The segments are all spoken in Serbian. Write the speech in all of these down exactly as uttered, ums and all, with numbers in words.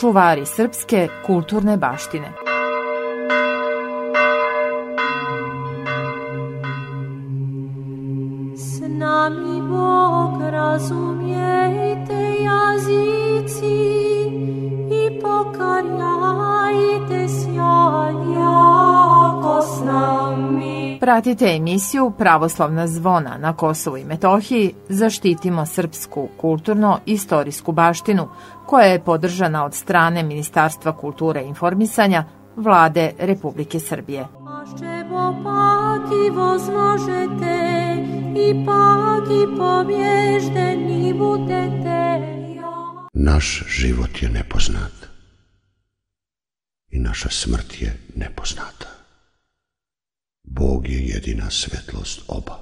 čuvari srpske kulturne baštine. S nami Bog, razumijete jazici i pokarjajte sjaj jako s nami. Pratite emisiju Pravoslavna zvona na Kosovu i Metohiji. Zaštitimo srpsku kulturno-istorijsku baštinu, koja je podržana od strane Ministarstva kulture i informisanja Vlade Republike Srbije. Ašćevo paki возможete i paki pobježdeni budete. Naš život je nepoznat i naša smrt je nepoznata. Bog je jedina svetlost oba.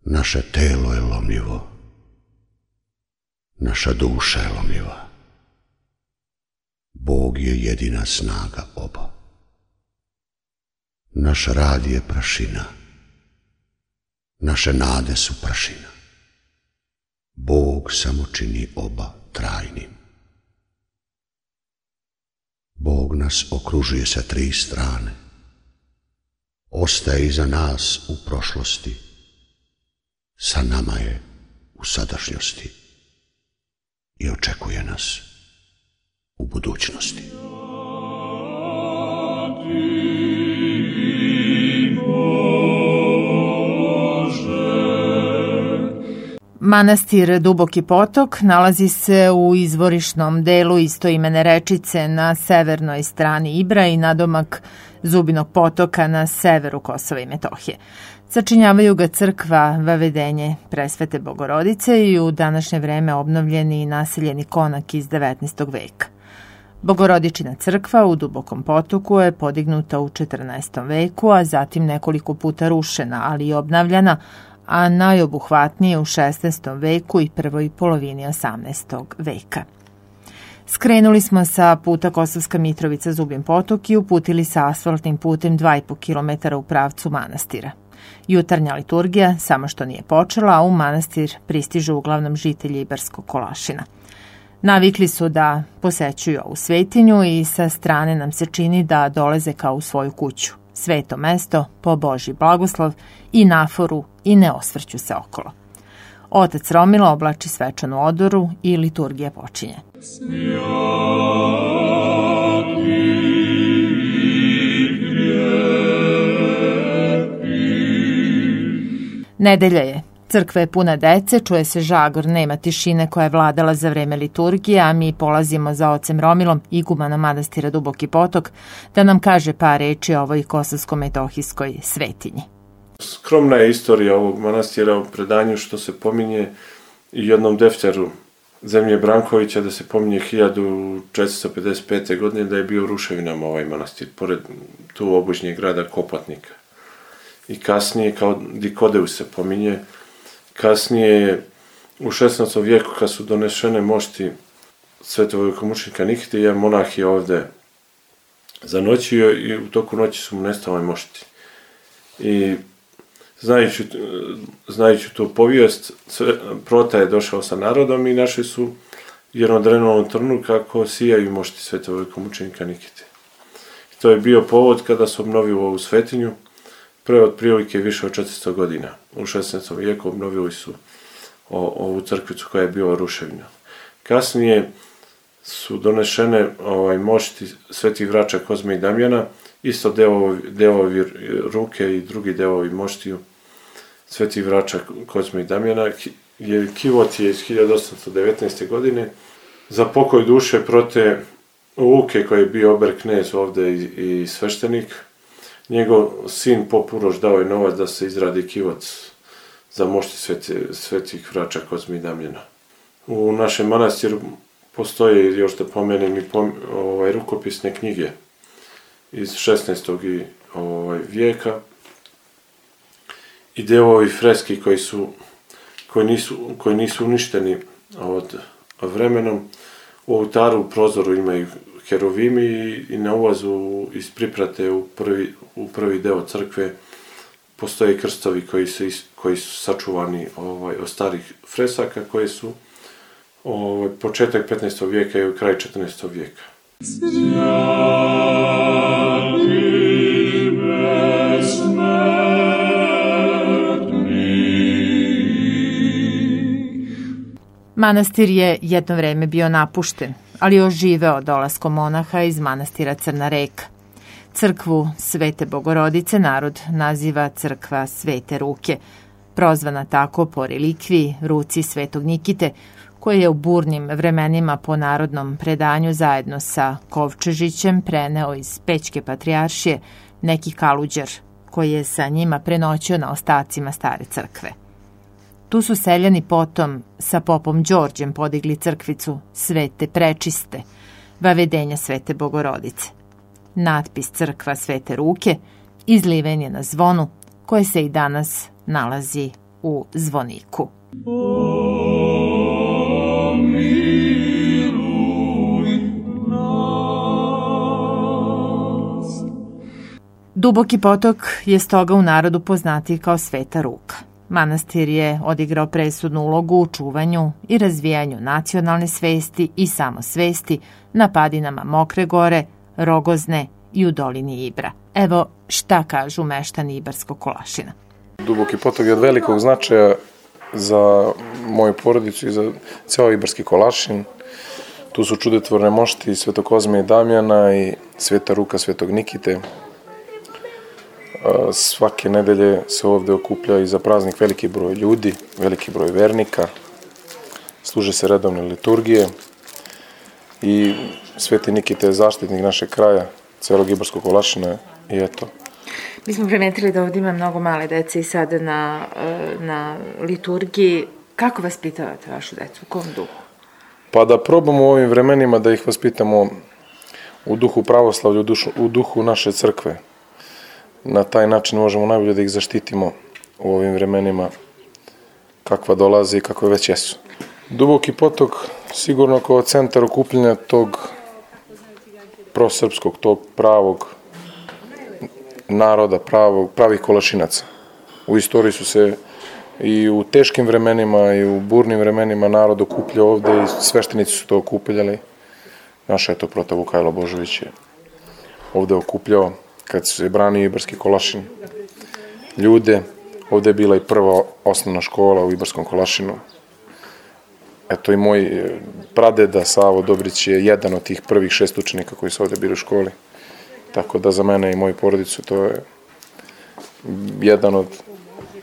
Naše telo je lomljivo, naša duša je lomljiva. Bog je jedina snaga oba. Naš rad je prašina, naše nade su prašina. Bog samo čini oba trajnim. Bog nas okružuje sa tri strane. Ostaje iza nas u prošlosti, sa nama je u sadašnjosti i očekuje nas u budućnosti. Manastir Duboki potok nalazi se u izvorišnom delu istoimene rečice na severnoj strani Ibra i nadomak Zubinog potoka na severu Kosova i Metohije. Sačinjavaju ga crkva Vavedenje Presvete Bogorodice i u današnje vreme obnovljeni i naseljeni konak iz devetnaestog veka. Bogorodičina crkva u Dubokom potoku je podignuta u četrnaestom veku, a zatim nekoliko puta rušena, ali i obnavljana, a najobuhvatnije u šesnaestom veku i prvoj polovini osamnaestog veka. Skrenuli smo sa puta Kosovska Mitrovica Zubin potok i uputili sa asfaltnim putem dva i po kilometara u pravcu manastira. Jutarnja liturgija samo što nije počela, a u manastir pristižu uglavnom žitelji Ibarskog Kolašina. Navikli su da posećuju ovu svetinju i sa strane nam se čini da dolaze kao u svoju kuću. Sveto mesto, po Božji blagoslov i naforu i ne osvrću se okolo. Otac Romilo oblači svečanu odoru i liturgija počinje. Nedelja je. Crkva je puna dece, čuje se žagor, nema tišine koja je vladala za vreme liturgije, a mi polazimo za ocem Romilom, igumana manastira Duboki potok, da nam kaže par reči o ovoj kosovsko-metohijskoj svetinji. Skromna je istorija ovog manastira u predanju što se pominje i jednom defteru Zemlje Brankovića, da se pominje hiljadu četiristo pedeset pete. godine da je bio u ruševinama ovaj manastir, pored tu obližnjeg grada Kopatnika. I kasnije, kao Dikodeus se pominje, kasnije u šesnaestom vijeku kad su donešene mošti svetog velikomučenika Nikite, jedan monah je ovde zanoćio i u toku noći su mu nestale mošti. I znajući, znajući tu povijest, Prota je došao sa narodom i našli su jednom drenovnom trnu kako sijaju mošti svetog velikomučenika Nikite. I to je bio povod kada su obnovili ovu svetinju, pre otprilike više od četiristo godina. U šesnaestom vijeku obnovili su o, ovu crkvicu koja je bila ruševina. Kasnije su donešene ovaj, mošti svetih vrača Kozme i Damjana, isto delovi, delovi ruke i drugi delovi moštiju svetih vrača Kozme i Damjana. Kivot je iz hiljadu osamsto devetnaeste. godine. Za pokoj duše Prote Luke, koji je bio ober knez ovde i, i sveštenik, njegov sin Pop Uroš dao je novac da se izradi kivot za mošti sveti, svetih vrača Kozme i Damjana. U našem manastiru postoje, još da pomenem, i pom, ovaj, rukopisne knjige iz šesnaestog i ovaj, vijeka i delovi freski koji su koji nisu, koji nisu uništeni od vremenom. U oltaru u prozoru imaju kerovimi i, i na ulazu iz priprate u prvi, u prvi deo crkve postoje krstovi koji su, koji su sačuvani ovaj, od starih fresaka koje su ovaj, početak petnaestog vijeka i kraj četrnaestog vijeka. Manastir je jedno vreme bio napušten, ali oživeo dolaskom monaha iz manastira Crna Reka. Crkvu Svete Bogorodice narod naziva crkva Svete Ruke, prozvana tako po relikviji ruci Svetog Nikite, koje je u burnim vremenima po narodnom predanju zajedno sa Kovčežićem preneo iz Pećke patrijaršije neki kaluđer, koji je sa njima prenoćio na ostacima stare crkve. Tu su seljani potom sa popom Đorđem podigli crkvicu Svete Prečiste, vavedenja Svete Bogorodice. Natpis crkva Svete Ruke izliven je na zvonu, koje se i danas nalazi u zvoniku. Duboki potok je stoga u narodu poznatiji kao Sveta Ruka. Manastir je odigrao presudnu ulogu u čuvanju i razvijanju nacionalne svesti i samosvesti na padinama Mokre gore, Rogozne i u dolini Ibra. Evo šta kažu meštani Ibarskog Kolašina. Duboki potok je od velikog značaja za moju porodicu i za ceo Ibarski Kolašin. Tu su čudotvorne mošti Svetog Kozme i Damjana i Sveta Ruka Svetog Nikite. Svake nedelje se ovde okuplja i za praznik veliki broj ljudi, veliki broj vernika, služe se redovne liturgije i Sveti Nikita je zaštitnik našeg kraja, celog Ibarskog Kolašina i eto. Mi smo primetili da ovdje ima mnogo male dece i sada na, na liturgiji. Kako vaspitavate vašu decu? U kom duhu? Pa da probamo u ovim vremenima da ih vaspitamo u duhu pravoslavlja, u, dušu, u duhu naše crkve. Na taj način možemo najbolje da ih zaštitimo u ovim vremenima kakva dolaze i kakve već jesu. Duboki potok sigurno kao centar okupljenja tog prosrpskog, tog pravog naroda, pravog, pravih Kolašinaca. U istoriji su se i u teškim vremenima i u burnim vremenima narod okupljao ovde i sveštenici su to okupljali. Naša je to prota Vukajlo Božović je ovde okupljao kad se branio Ibarski Kolašin ljude. Ovde je bila i prva osnovna škola u Ibarskom Kolašinu. Eto i moj pradeda Savo Dobrić je jedan od tih prvih šest učenika koji su ovde bili u školi. Tako da za mene i moju porodicu to je jedan od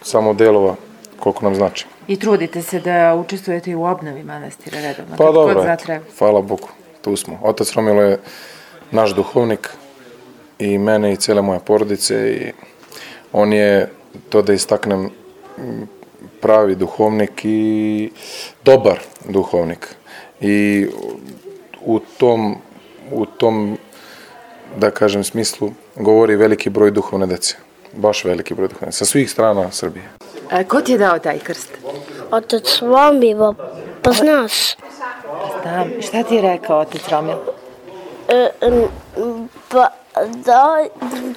samo delova koliko nam znači. I trudite se da učestvujete i u obnovi manastira redovno? Pa dobro, hvala Bogu, tu smo. Otac Romilo je naš duhovnik i mene i cijele moje porodice i on je, to da istaknem, pravi duhovnik i dobar duhovnik. I u tom, u tom, da kažem, smislu govori veliki broj duhovne dece. Baš veliki broj duhovne dece. Sa svih strana Srbije. A ko ti je dao taj krst? Otac Romilo, pa znaš. Znam. Šta ti je rekao otac Romilo? E, pa da,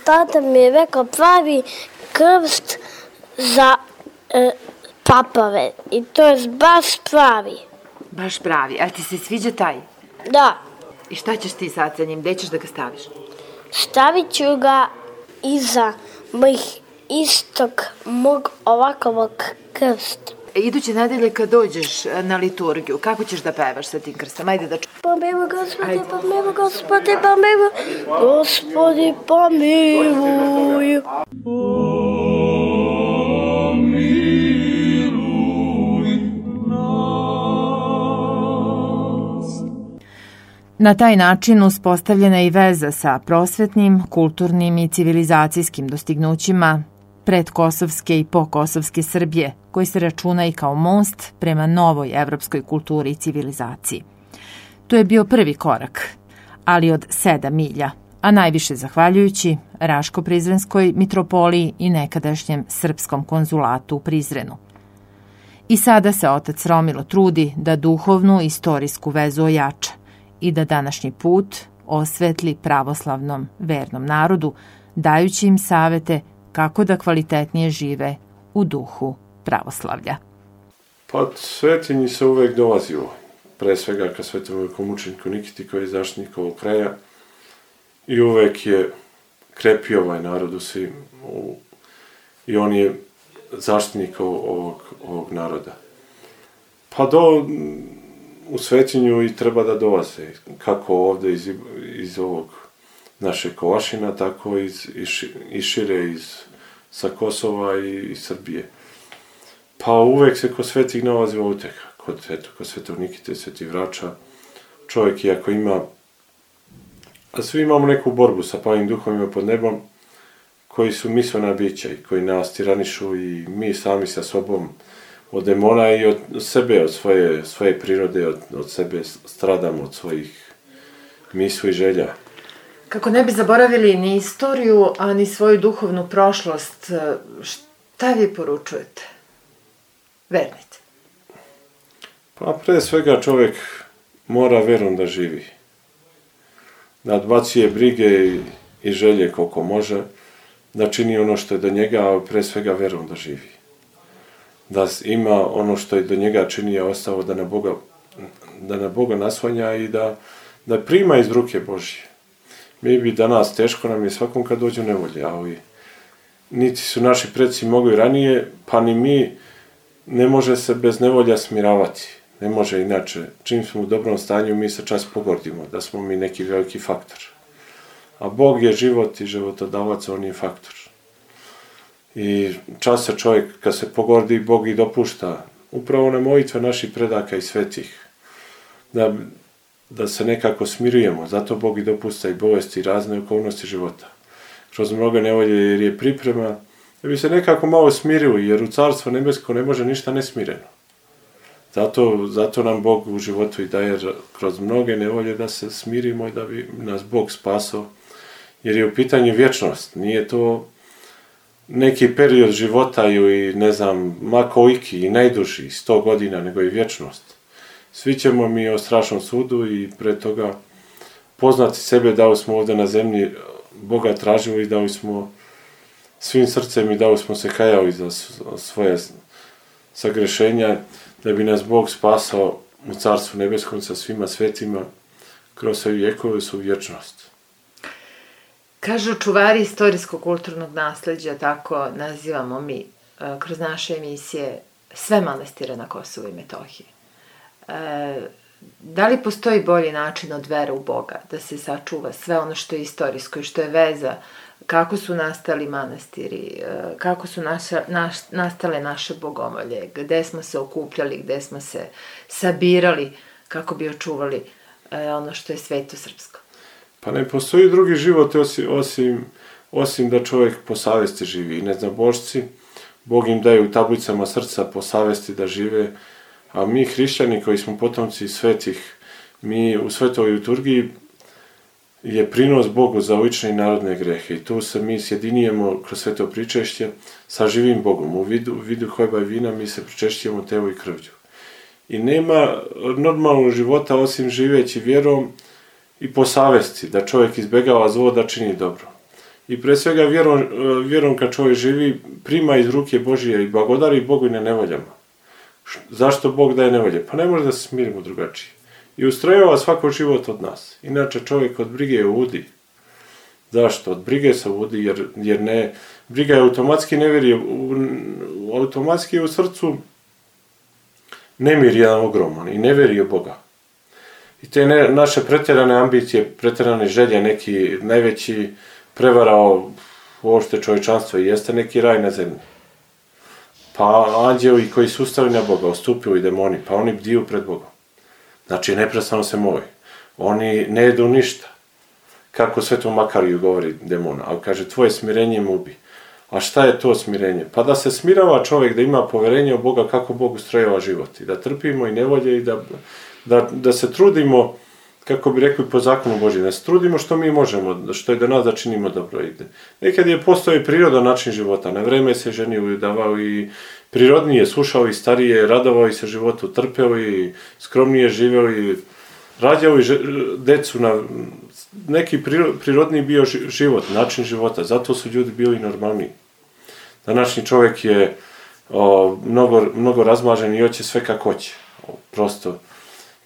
tata mi je rekao pravi krst za e, papave. I to je baš pravi. Baš pravi. A ti se sviđa taj? Da. I šta ćeš ti sad sa njim? Gde ćeš da ga staviš? Stavit ću ga iza mojih istog mog ovakvog krsta. Iduće nedelje kad dođeš na liturgiju, kako ćeš da pevaš sa tim krstom? Ajde da ču... Pomiluj, Gospodi, pomiluj, Gospodi, pomiluj, Gospodi, pomiluj. Na taj način uspostavljena je i veza sa prosvetnim, kulturnim i civilizacijskim dostignućima predkosovske i pokosovske Srbije, koji se računa i kao most prema novoj evropskoj kulturi i civilizaciji. To je bio prvi korak, ali od sedam milja, a najviše zahvaljujući Raško-Prizrenskoj mitropoliji i nekadašnjem srpskom konzulatu u Prizrenu. I sada se otac Romilo trudi da duhovnu i istorijsku vezu ojača i da današnji put osvetli pravoslavnom vernom narodu, dajući im savete kako da kvalitetnije žive u duhu pravoslavlja. Pa Svetinji se uvek dolazilo. pre svega ka svetom velikomučeniku Nikiti koji je zaštitnik ovog kraja i uvek je krepio ovaj narod u svim, u, i on je zaštitnik ovog, ovog naroda. Pa do, u Svetinju i treba da dolaze, kako ovde iz, iz ovog naše Kovašina, tako i iz, iz šire iz, sa Kosova i iz Srbije. Pa uvek se kod svetih nalazi utjeha, kod, eto, kod svetog Nikite, svetih Vrača. Čovjek, iako ima, a svi imamo neku borbu sa plavim duhovima pod nebom, koji su mislena bića i koji nas tiranišu i mi sami sa sobom od demona i od sebe, od svoje, svoje prirode, od, od sebe stradamo, od svojih misli i želja. Kako ne bi zaboravili ni istoriju, a ni svoju duhovnu prošlost, šta vi poručujete vernici? Pa pre svega čovjek mora verom da živi. Da odbacuje brige i, i želje koliko može, da čini ono što je do njega, a pre svega verom da živi. Da ima ono što je do njega čini, a ostao da na Boga, da na Boga naslanja i da, da prima iz ruke Božje. Mi bi danas, teško nam je svakom kad dođu nevolje, ali niti su naši preci mogli ranije, pa ni mi ne može se bez nevolja smiravati. Ne može inače. Čim smo u dobrom stanju, mi se čas pogordimo, da smo mi neki veliki faktor. A Bog je život i životodavac, on je faktor. I čas se čovjek, kad se pogordi, Bog i dopušta, upravo na molitve naših predaka i svetih, da, da se nekako smirujemo. Zato Bog i dopušta i bolesti i razne okolnosti života. Kroz mnoge nevolje, jer je priprema, da bi se nekako malo smirili, jer u Carstvo nebesko ne može ništa nesmireno. Zato, zato nam Bog u životu i daje kroz mnoge nevolje da se smirimo i da bi nas Bog spasao, jer je u pitanju vječnost. Nije to neki period života i ne znam, ma koliki i najduži, sto godina, nego i vječnost. Svi ćemo mi o strašnom sudu i pre toga poznati sebe da li smo ovdje na zemlji Boga tražili i da li smo svim srcem i da li smo se kajali za svoje sagrešenja, da bi nas Bog spasao u Carstvu nebeskom sa svima svetima kroz sve vjekove su vječnost. Kažu čuvari istorijsko-kulturnog nasleđa, tako nazivamo mi kroz naše emisije sve manastire na Kosovu i Metohiji. E, da li postoji bolji način od vere u Boga, da se sačuva sve ono što je istorijsko i što je veza, kako su nastali manastiri, kako su naša, naš, nastale naše bogomolje, gde smo se okupljali, gde smo se sabirali kako bi očuvali ono što je sveto srpsko? Pa ne postoji drugi život osim, osim, osim da čovjek po savesti živi. I neznabošci, Bog im daje u tablicama srca po savesti da žive, a mi hrišćani koji smo potomci svetih, mi u svetoj liturgiji je prinos Bogu za lične i narodne grehe. I tu se mi sjedinjujemo kroz sveto pričešće sa živim Bogom. U vidu, u vidu hljeba i vina mi se pričešćujemo telo i krvlju. I nema normalnog života osim živeći vjerom i po savesti, da čovjek izbjegava zlo, da čini dobro. I pre svega vjerom, vjerom kad čovjek živi, prima iz ruke Božije i blagodari Bogu i na nevoljama. Zašto Bog daje nevolje? Pa ne može da se smirimo drugačije. I ustrojava svako život od nas. Inače čovjek od brige ludi. Zašto? Od brige se ludi, jer, jer ne, briga je automatski nevjerje, automatski je u srcu nemir jedan ogroman i nevjerje Boga. I te ne, naše pretjerane ambicije, pretjerane želje, neki najveći prevarao uopšte čovječanstvo i jeste neki raj na zemlji. Pa anđeli koji su ustali na Boga, ostupili demoni, pa oni bdiju pred Bogom. Znači, neprestano se moli. Oni ne jedu ništa. Kako Svetom Makariju govori demona, ali kaže, tvoje smirenje mu ubi. A šta je to smirenje? Pa da se smirava čovjek, da ima poverenje u Boga kako Bog ustrojava život. I da trpimo i nevolje i da, da, da se trudimo, kako bi rekli po zakonu Božjem, da se trudimo što mi možemo, što je do nas da činimo dobro. Nekad je postoji prirodan način života. Na vreme se ženio i davao i prirodnije, slušao i starije, radovao i se životu, trpeo i skromnije živeo i rađao i decu na neki prirodni bio život, način života. Zato su ljudi bili normalniji. Današnji čovjek je o, mnogo, mnogo razmažen i hoće sve kako hoće. O, prosto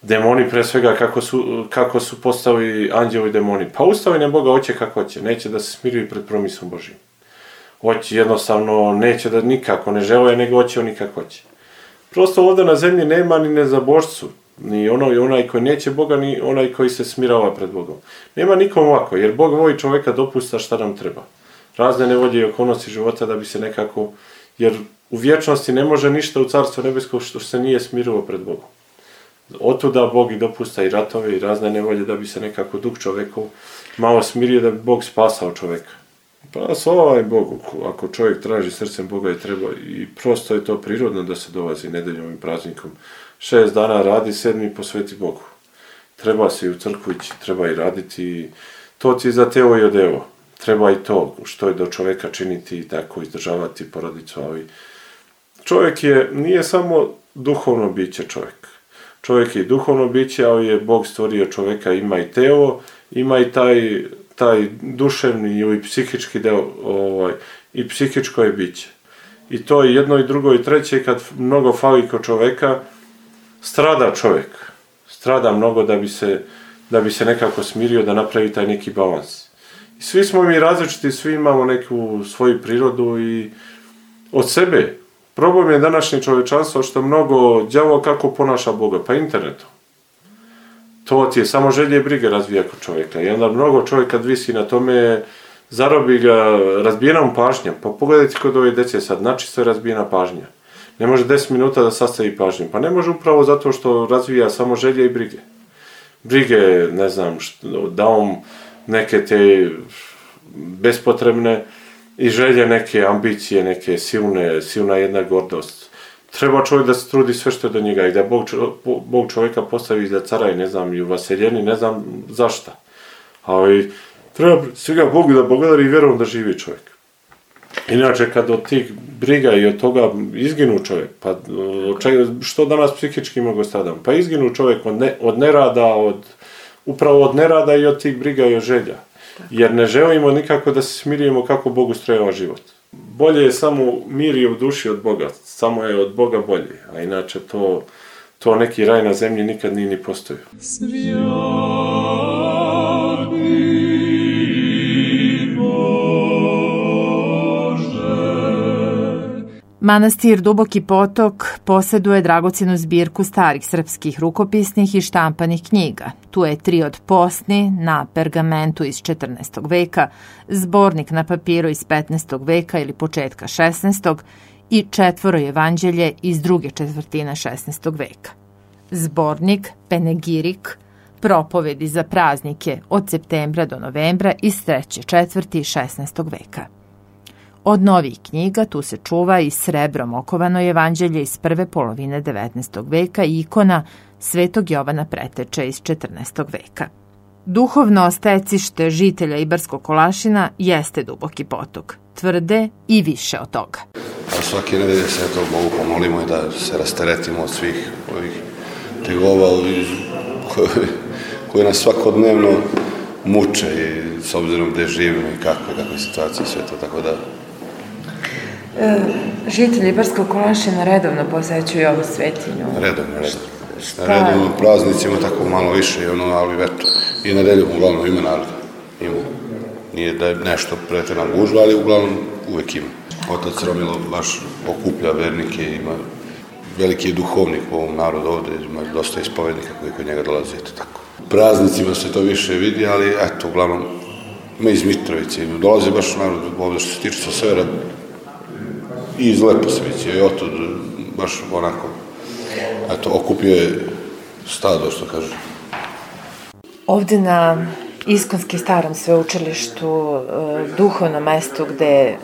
Demoni pre svega kako su, kako su postavili anđeli i demoni. Pa ustavljanje Boga hoće kako hoće, neće da se smiruju pred promisom Božijim. Hoće jednostavno, neće da nikako, ne žele, nego hoće on nikako hoće. Prosto ovdje na zemlji nema ni nezabožcu, ni ono i onaj koji neće Boga, ni onaj koji se smirava pred Bogom. Nema nikom ovako, jer Bog voli čovjeka dopusta šta nam treba. Razne nevolje i okolnosti života da bi se nekako, jer u vječnosti ne može ništa u Carstvu nebesko što se nije smirilo pred Bogom. Otuda Bog i dopusta i ratove i razne nevolje da bi se nekako duh čovjeku malo smirio, da bi Bog spasao čovjeka. Pa s ovaj Bogu, ako čovjek traži srcem Boga i treba, i prosto je to prirodno da se dolazi nedeljom i praznikom. Šest dana radi, sedmi posveti Bogu. Treba se i u crkvu ići, treba i raditi, to ti za telo i odevo. Treba i to što je do čovjeka činiti i tako izdržavati porodicu, ali čovjek je, nije samo duhovno biće čovjek. Čovjek je i duhovno biće, ali je Bog stvorio čovjeka, ima i telo, ima i taj, taj duševni ili psihički deo, ovaj, i psihičko je biće. I to je jedno i drugo i treće, kad mnogo fali kod čovjeka, strada čovjek. Strada mnogo da bi se, da bi se nekako smirio, da napravi taj neki balans. I svi smo mi različiti, svi imamo neku svoju prirodu i od sebe. Problem je današnje čovječanstvo što mnogo đavo kako ponaša Boga, pa internetom. To ti je samo želje i brige razvija kod čovjeka. I onda mnogo čovjek kad visi na tome, zarobi ga razbijenom pažnjom. Pa pogledajte kod ove djece sad, načisto je razbijena pažnja. Ne može deset minuta da sastavi pažnju. Pa ne može upravo zato što razvija samo želje i brige. Brige, ne znam, što, da on neke te bespotrebne i želje, neke ambicije, neke silne, silna jedna gordost. Treba čovjek da se trudi sve što je do njega i da Bog, Bog čovjeka postavi za cara i ne znam, i u vaseljeni, ne znam zašta. Ali treba svega Bogu da благодари i vjerom da živi čovjek. Inače, kad od tih briga i od toga izginu čovjek, pa što danas psihički mogu stradam? Pa izginu čovjek od, ne, od nerada, od, upravo od nerada i od tih briga i od želja. Jer ne želimo nikako da se smirimo kako Bog ustrojava život. Bolje je samo mir i u duši od Boga, samo je od Boga bolje, a inače to, to neki raj na zemlji nikad nije ni postojio. Manastir Duboki Potok posjeduje dragocjenu zbirku starih srpskih rukopisnih i štampanih knjiga. Tu je tri od posni na pergamentu iz četrnaestog veka, zbornik na papiru iz petnaestog veka ili početka šesnaestog i četvoro evanđelje iz druge četvrtine šesnaestog veka. Zbornik Penegirik, propovedi za praznike od septembra do novembra iz treće četvrti šesnaestog veka. Od novih knjiga tu se čuva i srebrom okovano evanđelje iz prve polovine devetnaestog veka i ikona Svetog Jovana Preteče iz četrnaestog veka. Duhovno stecište žitelja Ibarskog Kolašina jeste Duboki Potok, tvrde i više od toga. A svake nedelje se to Bogu pomolimo i da se rasteretimo od svih ovih tegova koje, koje nas svakodnevno muče i s obzirom gdje živimo i kakve, kakve situacije i sve to, tako da... E, žitelji Ibarskog Kolašina redovno posećuju ovu svetinju. Redovno, redovno. Na redovno praznicima tako malo više, ono, ali eto, i nedeljom uglavnom ima naroda. Ima. Nije da je nešto pretjerana gužva, ali uglavnom uvijek ima. Otac Romilo baš okuplja vernike, ima veliki je duhovnik u ovom narodu ovdje, ima dosta ispovednika koji kod njega dolaze, eto tako. Praznicima se to više vidi, ali eto, uglavnom, ima iz Mitrovice, dolaze baš narod ovdje što se tiče sa severa i iz Leposavice, i otud baš onako, eto, okupio je stado, što kaže. Ovdje na Iskonski starom sveučilištu, duhovnom mestu gde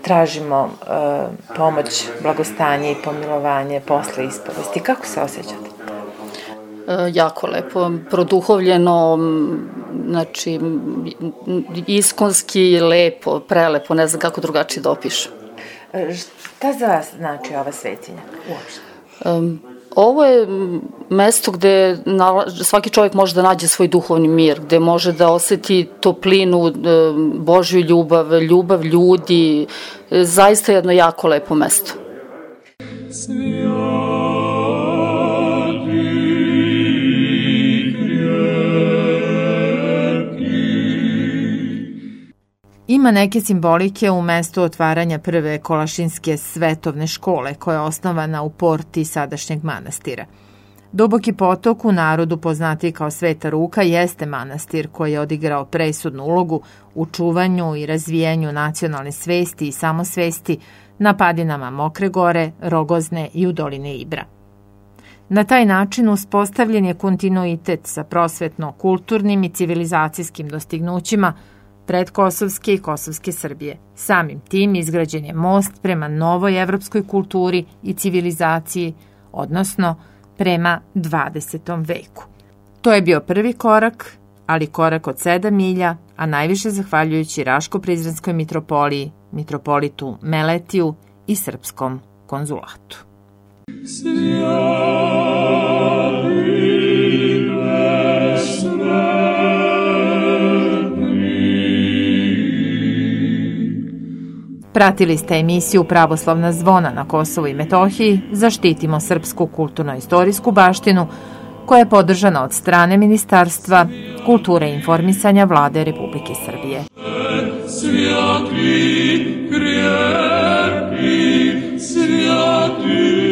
tražimo pomoć, blagostanje i pomilovanje posle ispovesti. Kako se osjećate? Jako lepo, produhovljeno, znači iskonski, lepo, prelepo, ne znam kako drugačije da opišem. Šta za vas znači ova svetinja uopšte? Um, ovo je mesto gde svaki čovjek može da nađe svoj duhovni mir, gde može da osjeti toplinu, Božju ljubav, ljubav ljudi, zaista jedno jako lepo mesto. Svijati Ima neke simbolike u mestu otvaranja prve Kolašinske svetovne škole koja je osnovana u porti sadašnjeg manastira. Duboki potok, u narodu poznatiji kao Sveta Ruka, jeste manastir koji je odigrao presudnu ulogu u čuvanju i razvijanju nacionalne svesti i samosvesti na padinama Mokre Gore, Rogozne i u doline Ibra. Na taj način uspostavljen je kontinuitet sa prosvetno-kulturnim i civilizacijskim dostignućima predkosovske i kosovske Srbije. Samim tim izgrađen je most prema novoj evropskoj kulturi i civilizaciji, odnosno prema dvadesetom veku. To je bio prvi korak, ali korak od sedam milja, a najviše zahvaljujući Raško-Prizrenskoj mitropoliji, mitropolitu Meletiju i srpskom konzulatu. Pratili ste emisiju Pravoslavna zvona na Kosovu i Metohiji Zaštitimo srpsku kulturno-istorijsku baštinu, koja je podržana od strane Ministarstva kulture i informisanja Vlade Republike Srbije. Svjatli, krepki, svjatli.